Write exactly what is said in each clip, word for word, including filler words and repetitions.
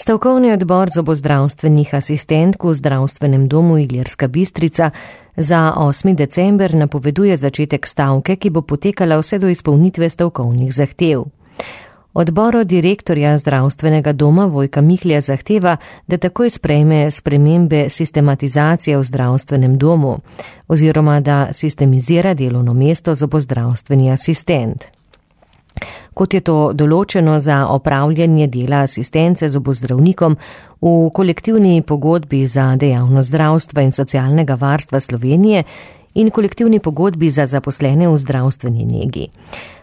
Stavkovni odbor zobozdravstvenih asistentk v zdravstvenem domu Ilirska Bistrica za osmi december napoveduje začetek stavke, ki bo potekala vse do izpolnitve stavkovnih zahtev. Odbor od direktorja zdravstvenega doma Vojka Mihlja zahteva, da takoj sprejme spremembe sistematizacije v zdravstvenem domu oziroma da sistemizira delovno mesto zobozdravstveni asistent. Kot je to določeno za opravljanje dela asistence zobozdravnikom v kolektivni pogodbi za dejavnost zdravstva in socialnega varstva Slovenije in kolektivni pogodbi za zaposlene v zdravstveni negi.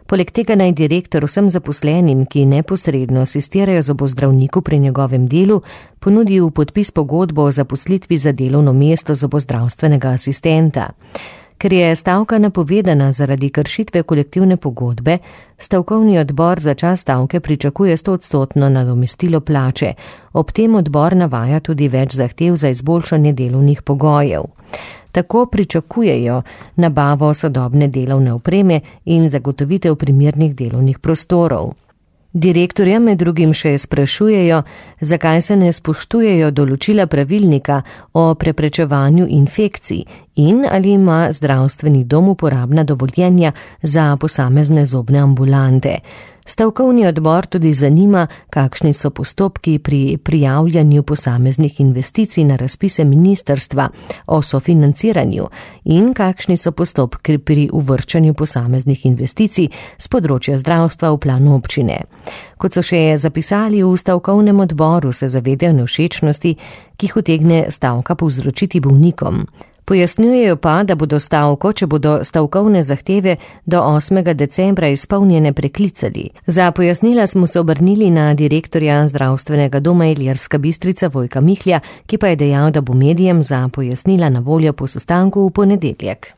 Poleg tega naj direktor vsem zaposlenim, ki neposredno asistirajo zobozdravniku pri njegovem delu, ponudi v podpis pogodbo o zaposlitvi za delovno mesto zobozdravstvenega asistenta. Ker je stavka napovedana zaradi kršitve kolektivne pogodbe, stavkovni odbor za čas stavke pričakuje stoodstotno nadomestilo plače. Ob tem odbor navaja tudi več zahtev za izboljšanje delovnih pogojev. Tako pričakujejo nabavo sodobne delovne opreme in zagotovitev primernih delovnih prostorov. Direktorja med drugim še sprašujejo, zakaj se ne spoštujejo določila pravilnika o preprečevanju infekcij in ali ima zdravstveni dom uporabna dovoljenja za posamezne zobne ambulante. Stavkovni odbor tudi zanima, kakšni so postopki pri prijavljanju posameznih investicij na razpise ministrstva o sofinanciranju in kakšni so postopki pri uvrščanju posameznih investicij z področja zdravstva v plan občine. Kot so še zapisali v stavkovnem odboru, se zavedajo nevšečnosti, ki jih utegne stavka povzročiti bolnikom. Pojasnjujejo pa, da bodo stavko, če bodo stavkovne zahteve do osmega decembra izpolnjene, preklicali. Za pojasnila smo se obrnili na direktorja zdravstvenega doma Ilirska Bistrica Vojka Mihlja, ki pa je dejal, da bo medijem za pojasnila na voljo po sestanku v ponedeljek.